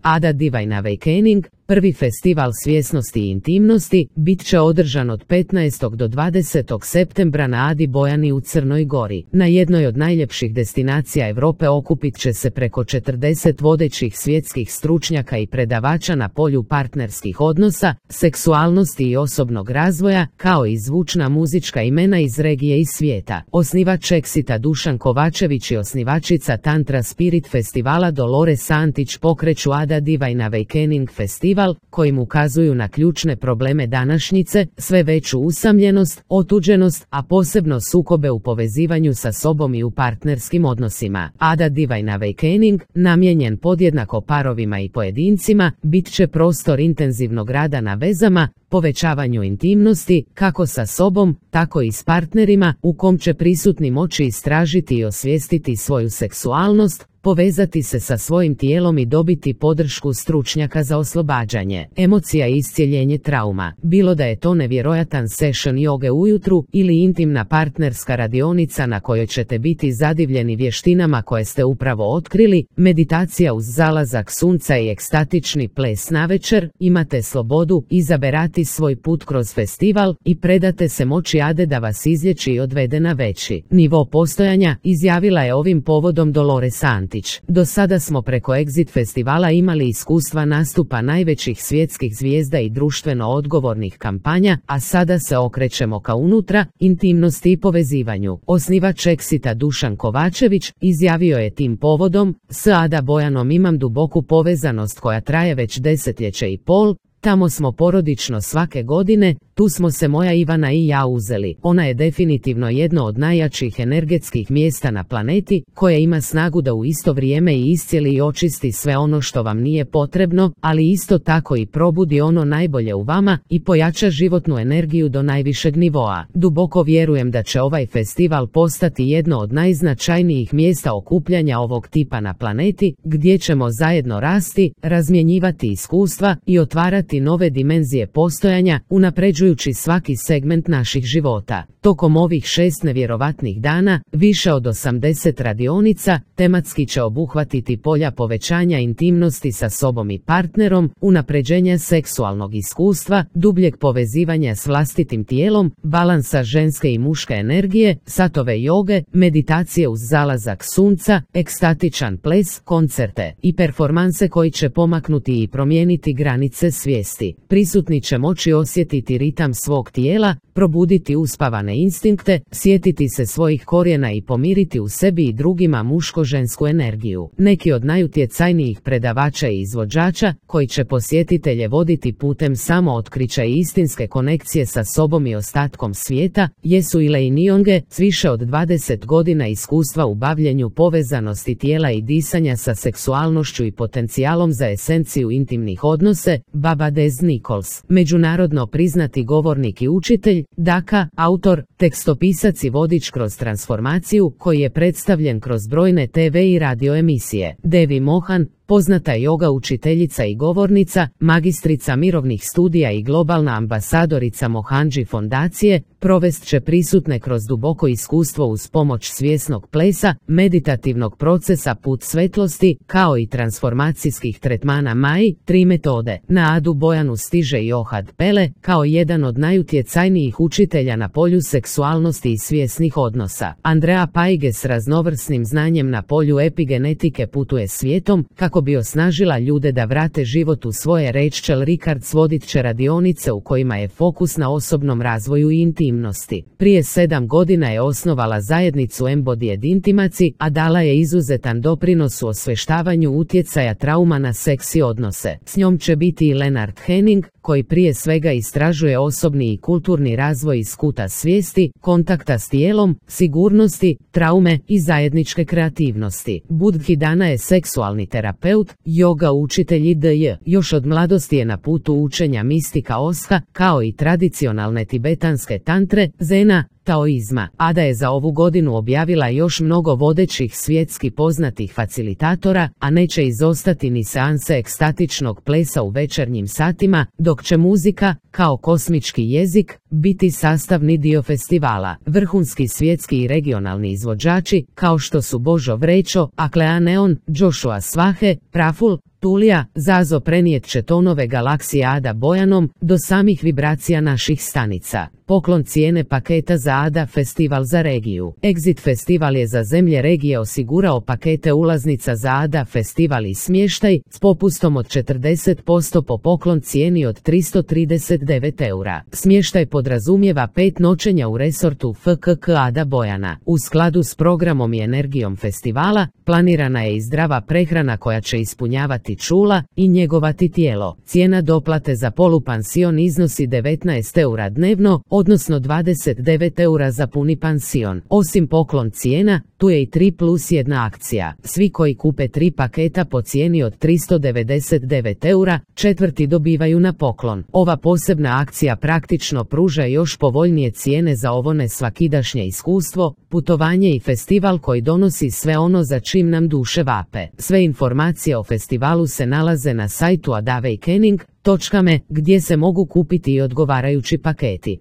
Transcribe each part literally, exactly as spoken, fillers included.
Ada Divine Awakening, prvi festival svjesnosti i intimnosti, bit će održan od petnaestog do dvadesetog septembra na Adi Bojani u Crnoj Gori. Na jednoj od najljepših destinacija Europe okupit će se preko četrdeset vodećih svjetskih stručnjaka i predavača na polju partnerskih odnosa, seksualnosti i osobnog razvoja, kao i zvučna muzička imena iz regije i svijeta. Osnivač Exita Dušan Kovačević i osnivačica Tantra Spirit festivala Dolores Antić pokreću Ada Divine Awakening festival, kojim ukazuju na ključne probleme današnjice, sve veću usamljenost, otuđenost, a posebno sukobe u povezivanju sa sobom i u partnerskim odnosima. Ada Divine Awakening, namijenjen podjednako parovima i pojedincima, bit će prostor intenzivnog rada na vezama, povećavanju intimnosti, kako sa sobom, tako i s partnerima, u kom će prisutni moći istražiti i osvijestiti svoju seksualnost, povezati se sa svojim tijelom i dobiti podršku stručnjaka za oslobađanje emocija i iscjeljenje trauma. Bilo da je to nevjerojatan session joge ujutru ili intimna partnerska radionica na kojoj ćete biti zadivljeni vještinama koje ste upravo otkrili, meditacija uz zalazak sunca i ekstatični ples navečer, imate slobodu izaberati svoj put kroz festival i predate se moći Ade da vas izlječi i odvede na veći nivo postojanja, izjavila je ovim povodom Dolores Antić. Do sada smo preko Exit festivala imali iskustva nastupa najvećih svjetskih zvijezda i društveno odgovornih kampanja, a sada se okrećemo ka unutra, intimnosti i povezivanju. Osnivač Exita Dušan Kovačević izjavio je tim povodom: "S Ada Bojanom imam duboku povezanost koja traje već desetljeće i pol, tamo smo porodično svake godine, tu smo se moja Ivana i ja uzeli. Ona je definitivno jedno od najjačih energetskih mjesta na planeti, koje ima snagu da u isto vrijeme i iscijeli i očisti sve ono što vam nije potrebno, ali isto tako i probudi ono najbolje u vama i pojača životnu energiju do najvišeg nivoa. Duboko vjerujem da će ovaj festival postati jedno od najznačajnijih mjesta okupljanja ovog tipa na planeti, gdje ćemo zajedno rasti, razmjenjivati iskustva i otvarati nove dimenzije postojanja, unapređujući svaki segment naših života." Tokom ovih šest nevjerovatnih dana, više od osamdeset radionica, tematski će obuhvatiti polja povećanja intimnosti sa sobom i partnerom, unapređenja seksualnog iskustva, dubljeg povezivanja s vlastitim tijelom, balansa ženske i muške energije, satove joge, meditacije uz zalazak sunca, ekstatičan ples, koncerte i performanse koji će pomaknuti i promijeniti granice svijesti. Prisutni će moći osjetiti ritam svog tijela, probuditi uspavane instinkte, sjetiti se svojih korijena i pomiriti u sebi i drugima muško-žensku energiju. Neki od najutjecajnijih predavača i izvođača, koji će posjetitelje voditi putem samootkrića i istinske konekcije sa sobom i ostatkom svijeta, jesu Elaine Nionge, s više od dvadeset godina iskustva u bavljenju povezanosti tijela i disanja sa seksualnošću i potencijalom za esenciju intimnih odnose, Baba Dez Nichols, međunarodno priznati govornik i učitelj, Daka, autor, tekstopisac i vodič kroz transformaciju, koji je predstavljen kroz brojne te ve i radio emisije. Devi Mohan, poznata joga učiteljica i govornica, magistrica mirovnih studija i globalna ambasadorica Mohanji fondacije, provest će prisutne kroz duboko iskustvo uz pomoć svjesnog plesa, meditativnog procesa put svetlosti, kao i transformacijskih tretmana Mai, tri metode. Na Adu Bojanu stiže i Ohad Pele, kao jedan od najutjecajnijih učitelja na polju seksualnosti i svjesnih odnosa. Andrea Paige s raznovrsnim znanjem na polju epigenetike putuje svijetom, kako bi osnažila ljude da vrate život u svoje. Rachel Rickards vodit će radionice u kojima je fokus na osobnom razvoju i intimnosti. Prije sedam godina je osnovala zajednicu Embodied Intimacy, a dala je izuzetan doprinos u osvještavanju utjecaja trauma na seks i odnose. S njom će biti i Leonard Henning, koji prije svega istražuje osobni i kulturni razvoj iz kuta svijesti, kontakta s tijelom, sigurnosti, traume i zajedničke kreativnosti. Budhidana je seksualni terapeut, joga učitelj itd. Još od mladosti je na putu učenja mistika Osha, kao i tradicionalne tibetanske tantre, zena, taoizma. Ada je za ovu godinu objavila još mnogo vodećih svjetski poznatih facilitatora, a neće izostati ni seanse ekstatičnog plesa u večernjim satima, dok će muzika, kao kosmički jezik, biti sastavni dio festivala. Vrhunski svjetski i regionalni izvođači, kao što su Božo Vrečo, Aklea Neon, Joshua Svahe, Praful, Tulija, Zazo prenijet će tonove galaksije Ada Bojanom do samih vibracija naših stanica. Poklon cijene paketa za Ada Festival za regiju. Exit Festival je za zemlje regije osigurao pakete ulaznica za Ada Festival i smještaj s popustom od četrdeset posto po poklon cijeni od tristo trideset devet eura. Smještaj podrazumijeva pet noćenja u resortu F K K Ada Bojana. U skladu s programom i energijom festivala, planirana je i zdrava prehrana koja će ispunjavati čula i njegovati tijelo. Cijena doplate za polupansion iznosi devetnaest eura dnevno, odnosno dvadeset devet eura za puni pansion. Osim poklon cijena, tu je i tri plus jedna akcija. Svi koji kupe tri paketa po cijeni od tristo devedeset devet eura, četvrti dobivaju na poklon. Ova posebna akcija praktično pruža još povoljnije cijene za ovo nesvakidašnje iskustvo, putovanje i festival koji donosi sve ono za čim nam duše vape. Sve informacije o festivalu se nalaze na sajtu adawakening točka me gdje se mogu kupiti i odgovarajući paketi.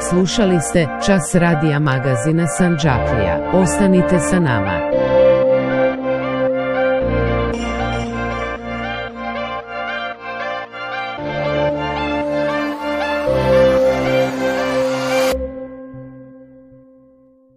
Slušali ste Čas radija magazina Sandžaklija. Ostanite sa nama.